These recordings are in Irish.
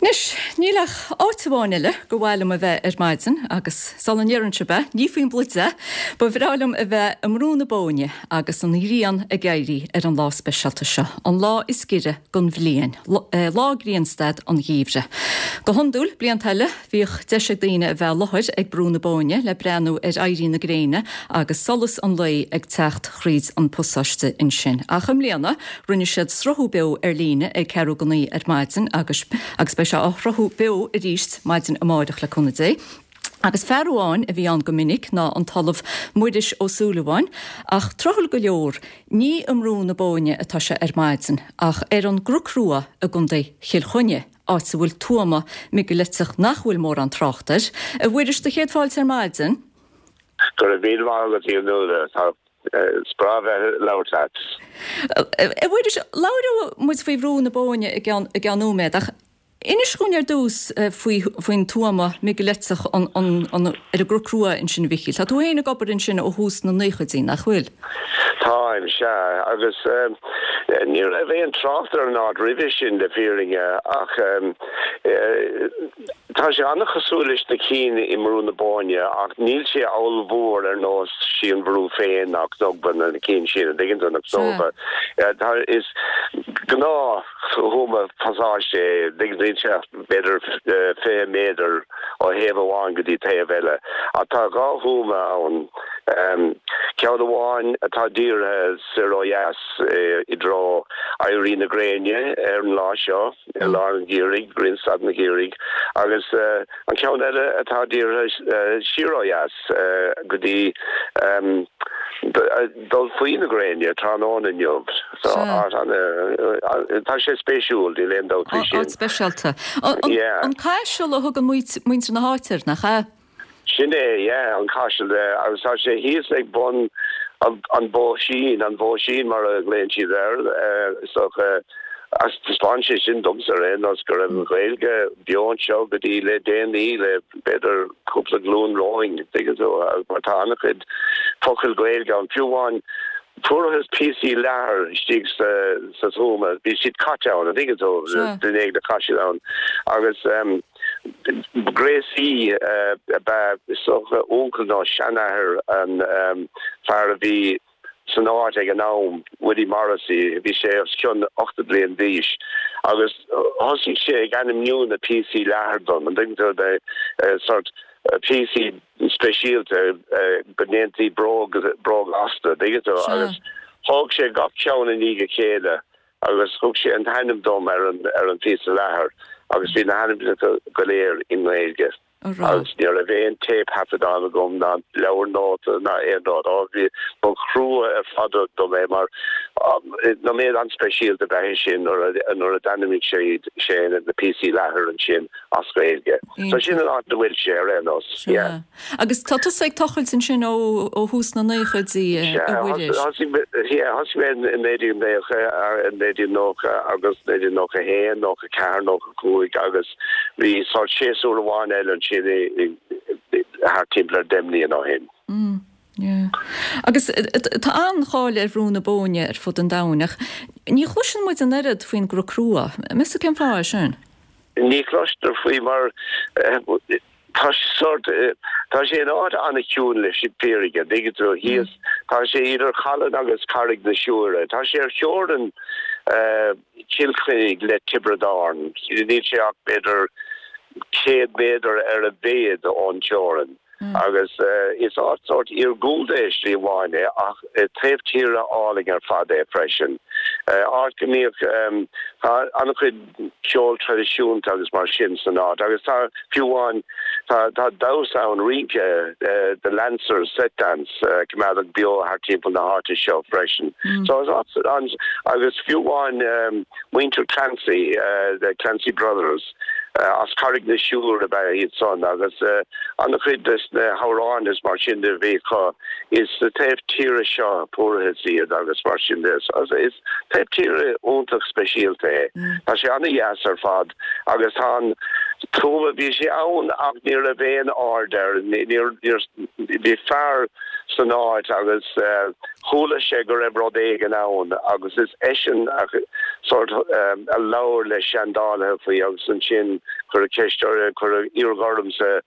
Anois, níl ach áit amháin eile gur mhaith liom a bheith ar maidin, agus sula ndeireann sibh é, ní faoin bpluid é, ba bhreá liom a bheith i mBrú na Bóinne agus an ghrian ag éirí ar an lá speisialta seo, an lá is giorra den bhliain, lá Grianstad an Gheimhridh. Go hiondúil, blianta eile, bhíodh deis ag daoine a bheith i láthair ag Brú na Bóinne le breathnú ar éirí na gréine agus solas an lae ag teacht thríd an bpasáiste ansin. Ach i mbliana, Rinne siad sruthú beo ar líne ag ceathrú go 9 ar maidin agus agus beidh sé á shruthú beo arís maidin amáireach le cúnamh Dé. Agus fear amháin a bhí ann go minic ná an tOllamh Muiris Ó Súilleabháin ach tráthúil go leor ní i mBrú na Bóinne atá sé ar maidin ach ar an gCnoc Rua i gContae Chill Chainnigh, áit a bhfuil tuama meigiliteach nach bhfuil mórán trácht air. A Mhuiris, do chéad fáilte ar maidin. Go raibh míle maith agat, a Fhionnuala. Tá Is breá bheith ag labhairt leat. A Mhuiris, labhróidh muid faoi Bhrú na Bóinne i gceann i gceann nóiméad, ach inis dhúinn ar dtús faoi faoin tuama meigiliteach an an an ar an gCnoc Rua ansin a Mhichíl. Tá tú féin ag obair ansin ó thús na naochaidí, nach bhfuil? Táim, sea. Agus ní raibh aon trácht ar an áit roimhe sin, le fírinne, ach Tá sé an-chosúil leis na cinn i mBrú na Bóinne ach níl sé ollmhór ar nós Sí an Bhrú féin ná Cnogba na cinn sin, an dtuigeann tú, na Cnóbha. Tá, is gnáth thuama pasáiste é, an dtuigeann tú, níl sé ach b'fhéidir 20 méadar ó thaobh amháin go dtí taobh eile. Ach tá dhá thuama ann, ceann amháin atá dírithe soir ó dheas i dtreo éirí na gréine ar an lá seo, i lár an gheimhridh, Grianstad an Gheimhridh, agus an ceann eile atá dírithe siar ó dheas go dtí dul faoi na gréine tráthnóna inniu. So, tá sé spéisiúil, níl aon dabht faoi sin. Áit speisialta. An Caiseal a thugann muintir na háite air, nach ea? Sin é, yeah, an Caiseal, agus tá sé thíos ag bun an Bhóisín, an Bhóisín mar a ghlaonn siad air, is dócha, agus taispeánann sé sin domsa ar aon nós go raibh an Ghaeilge beo anseo go dtí le déanaí, le b'fhéidir cúpla glúin romhainn, tuigeann tú, mar tá an-chuid focail Ghaeilge ann, fiú amháin fuarthas píosaí leathair istigh sa tuama, bhí siad caite ann, an dtuigeann tú, duine éigin a chaith siad ann, agus. Gréasaí ab ea, is dócha, uncail nó seanathair an fear a bhí san áit ag an am, Willie Morrissey. Bhí sé os cionn 80 bliain d'aois agus thosaigh sé ag ainmniú na píosaí leathair dom, an dtuigeann tú, sórt píosaí speisialta go ndéantaí bróg astu, an dtuigeann tú, agus thóg sé gach ceann i ndiaidh a chéile. agus thug sé an t-ainm dom ar an ar an phíosa leathair agus bhí na hainmneacha go léir i nGaeilge agus ní raibh aon téipthaifeadán agam ná leabhar nóta ná aon rud. Ó bhí ba chrua ar fad dom é mar nóiméad an-speisialta ab ea é sin nuair a nuair a d'ainmnigh sé sé na píosaí leathair ansin as Gaeilge. So sin an áit a bhfuil sé ar aon nós. Yeah. Agus tá tusa ag tochailt ansin ó ó thús na naochaidí, a Mhuiris. Thosaigh mé i 1990 agus 1991, 94, 95 agus bhí sórt séasúr amháin eile ansin thart timpeall ar 10 mbliana ó shin. Yeah. Agus tá an-cháil ar Bhrú na Bóinne ar fud an domhain ach ní chloiseann muid an oiread faoin gCnoc Rua. Meas tú cén fáth é sin? Ní chloistear faoi mar Tá sé sórt, tá sé in áit an-chiúin leis an bhfírinne, an dtuigeann tú, thíos, tá sé idir Chalann agus Carraig na Siúire. Tá sé ar theorainn Chill Chainnigh le Tiobraid Árann. Níl sé ach b'fhéidir 100 méadar ar a mhéad ón teorainn. Agus is áit sórt iargúlta é slí amháin é ach taobh tíre álainn ar fad é freisin. Áit go mbíodh, tá an-chuid ceol traidisiúnta agus mar sin san áit agus tá, fiú amháin, tá tá damhsa ann, rince, The Lancers Set Dance, coimeádach beo thart timpeall na háite seo freisin. So is áit an, agus fiú amháin muintir Clancy, the Clancy Brothers, As Carraig na Siúire ab ea iad san agus an-chuid des na hamhráin is mar sin de a bhí acu, is sa taobh tíre seo a fuarthas iad agus mar sin de. Is taobh tíre iontach speisialta é. Tá sé an-dheas ar fad agus tá an tuama, bhí sé ann ach ní raibh aon aird air, níor, níor, bhí fear. san áit agus chuala sé go raibh rud éigin ann agus is eisean a sort a labhair le seandálaithe faoi agus ansin cuireadh ceist ar, cuireadh iarraidh ormsa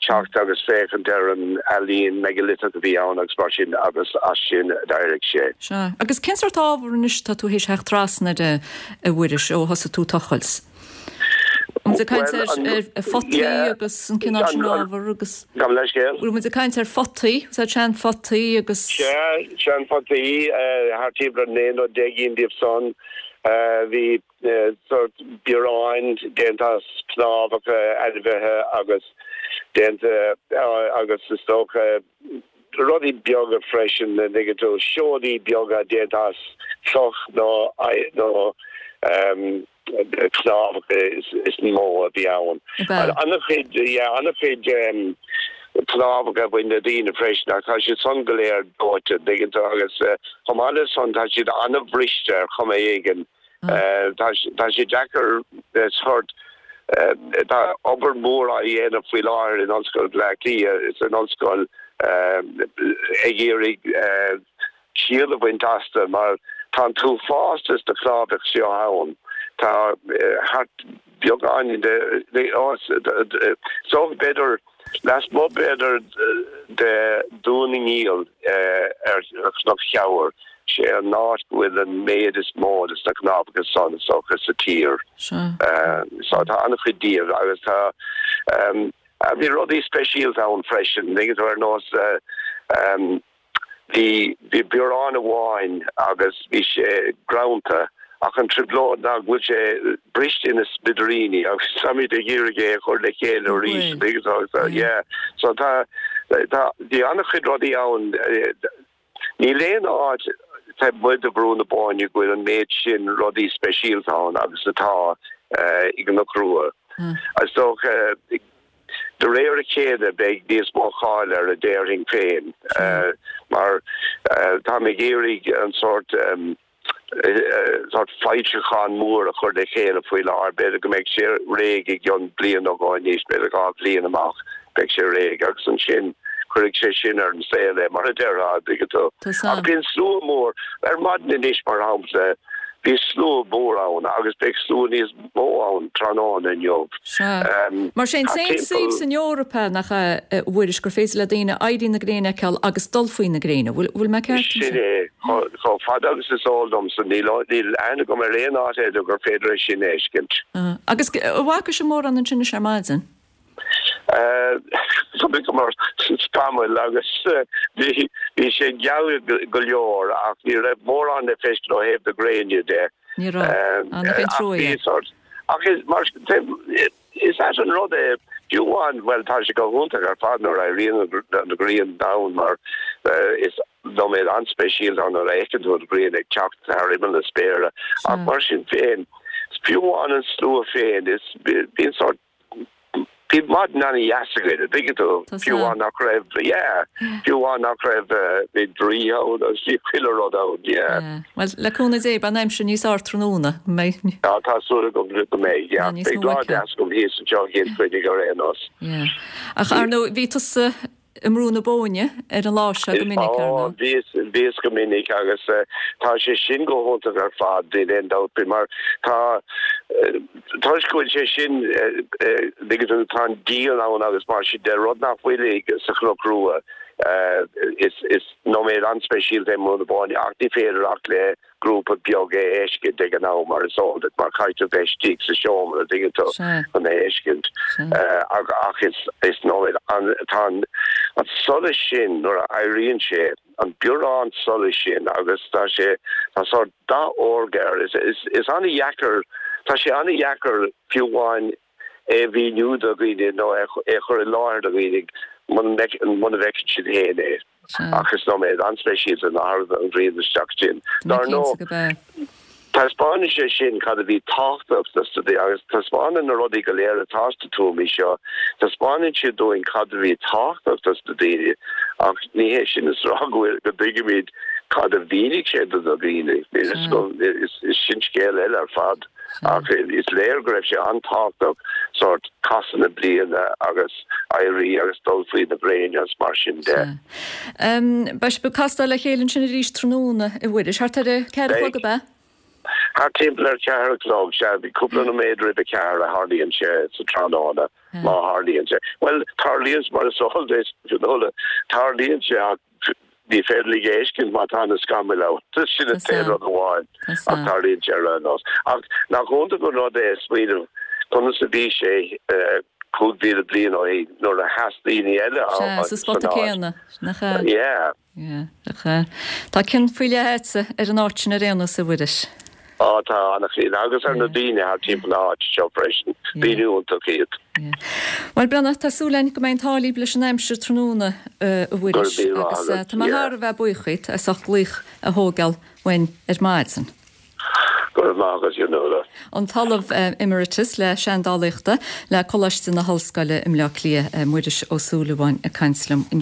teacht agus féachaint ar an ealaín meigiliteach a bhí ann agus mar sin agus as sin a d'éirigh sé. Sea. Agus cén sórt ábhar anois atá tú théis theacht trasna air a Mhuiris ó thosaigh tú ag tochailt? Bhfuil muid ag caint ar ar photaí agus an cineál sin ábhar agus. Gabh mo leithscéal. Bhfuil muid ag caint ar photaí, úsáid seanphotaí agus. Sea, seanphotaí, thart timpeall ar 19 nó ginn díobh san. Bhí sórt bioráin déanta as cnámhacha ainmhithe agus déanta agus is dócha rudaí beaga freisin, an dtuigeann tú, seodaí beaga déanta as cloch nó nó cnámhacha is mó a bhí ann. An-chuid, yeah, an-chuid cnámhacha a bhain le daoine freisin ach tá siad san go léir dóite, an dtuigeann tú, agus chomh maith le san tá siad an-bhriste ar chuma éigin. Tá sé deacair sórt, tá obair mhór á dhéanamh faoi láthair in Ollscoil Bhaile Átha Cliath is an ollscoil ag iarraidh ciall a bhaint astu mar tá an t-uafás de na cnámhacha seo ann. Tá thart beagán de, so b'fhéidir lasmuigh b'fhéidir de Dún na nGiall ar Chnoc Teamhair, sé an áit go bhfuil an méid is mó de na cnámhacha san is dócha sa tír. So tá an-chuid díobh agus tá bhí rudaí speisialta ann freisin, ar nós Bhí, bhí biorán amháin agus bhí sé greanta ach an trioblóid ná go bhfuil sé briste ina smidiríní agus táimid ag iarraidh é a chur le chéile arís an dtuigeann tú so yeah so tá, tá, bhí an-chuid rudaí ann. Níl aon áit taobh amuigh de Bhrú na Bóinne go bhfuil an méid sin rudaí speisialta ann agus atá i gCnoc Rua. Is dócha De réir a chéile beidh níos mó cáil air a déarfainn féin mar táim ag iarraidh an sórt sórt foilseachán mór a chur le chéile faoi láthair. B'fhéidir go mbeidh sé réidh i gcionn bliain nó dhó anois, b'fhéidir 2 bhliain amach beidh sé réidh agus ansin cuirfidh sé sin ar an saol é mar a déarfá, an dtuigeann tú. Ach bíonn slua mór, ar maidin anois mar shampla, bhí slua mór ann agus beidh slua níos mó ann tráthnóna inniu. Sea. Mar sé an t-aon suíomh san Eoraip é, nach ea, a Mhuiris, gur féidir le daoine éirí na gréine a fheiceáil agus dul faoi na gréine. Bhfuil mé ceart ansin? Sin é. Chomh fada agus is eol domsa, níl aithne agam ar aon áit eile gur féidir é sin a fheiscint. Agus an bhfaca sibh mórán ansin anois ar maidin? Chonaiceamar tamall agus bhí sé geal go leor ach ní raibh mórán le feiscint ó thaobh na gréine de. Ní raibh. Á, nach é an trua é. Ach is mar is ait an rud é, fiú amháin, bhuel tá sé go hiontach ar fad nuair a éiríonn an ghrian ann mar is nóiméad an-speisialta ann nuair a fheiceann tú an ghrian ag teacht thar imeall na spéire ach mar sin féin, fiú amháin an slua féin, is bíonn sórt Bhí maidin an-dheas againn, an dtuigeann tú, fiú amháin nach raibh, yeah, fiú amháin nach raibh, bhí draoithe ann agus bhí chuile rud ann, yeah. Yeah. Bhuel, le cúnamh Dé, beidh an aimsir níos fearr tráthnóna, an mbeidh? Tá, tá súil agam go mbeidh, yeah. Beidh lá deas agam thíos anseo i gCill Chainnigh ar aon nós. Yeah. Ach ar ndóigh, bhí tusa i mBrú na Bóinne ar an lá seo go minic, ar ndóigh. Bhíos, bhíos go minic agus tá sé sin go hiontach ar fad, níl aon dabht faoi, mar tá, toisc go bhfuil sé sin, tuigeann tú, tá an díon ann agus mar sin de, rud nach bhfuil sa Chnoc Rua. Is, is nóiméad an-speisialta é i mBrú na Bóinne ach ní féidir ach le grúpa beag é a fheiscint ag an am, mar is eol duit, mar caithfidh tú bheith istigh sa seomra, an dtuigeann tú, chun é a fheiscint. Ach is nóiméad an, tá an solas sin, nuair a éiríonn sé, an biorán solais sin agus tá sé, tá sórt dath órga air, is an-dheacair, tá sé an-dheacair fiú amháin é a mhíniú do dhaoine nó é a chur i láthair do dhaoine muna bhfeiceann siad féin é. Ach is nóiméad an-speisialta nuair a thagann an ghrian isteach ansin. Dar ndóigh, taispeánann sé sin cad a bhí tábhachtach dos na daoine agus taispeánann na rudaí go léir atá sna tuamaí seo, taispeánann siad dúinn cad a bhí tábhachtach dos na daoine ach ní hé sin is rá go bhfuil, go dtuigimid cad a mhínigh sé do na daoine. Is sin scéal eile ar fad. Ach is léir go raibh sé an-tábhachtach sórt casadh na bliana agus éirí agus dul faoi na gréine agus mar sin de. Sea. Beidh sibh ag castáil le chéile ansin arís tráthnóna, a Mhuiris, thart ar a ceathair a chlog, ab ea? Thart timpeall ar cheathair a chlog, sea. Cúpla nóiméad roimh a ceathair a tharlaíonn sé sa tráthnóna, má tharlaíonn sé. Bhuel, tarlaíonn, mar is eol duit, Fionnuala, tarlaíonn sé ach ní féidir leat é a fheiscint má tá na scamaill ann. Sin an t-aon rud amháin ach tarlaíonn sé ar aon nós. Ach nach iontach an rud é smaoineamh conas a bhí sé 5,000 bliain ó shin nuair a sheas daoine eile ann sa spota céanna, nach ea? Yeah. Yeah, nach ea. Tá cion faoi leith agatsa ar an áit sin ar aon nós, a Mhuiris. Á, tá an-chion, agus ar na daoine thart timpeall na háite seo freisin. Daoine iontacha iad. Yeah. Bhuel, Breandán, tá súil againn go mbeidh an t-ádh libh leis an aimsir tráthnóna, a Mhuiris, agus tá mé thar a bheith buíoch díot as ucht glaoch a thógáil uainn ar maidin. Go raibh maith agat, Fionnuala. An tOllamh Emeritus le Seandálaíochta le Coláiste na hOllscoile i mBleá Cliath, Muiris Ó Súilleabháin ag caint liom ansin.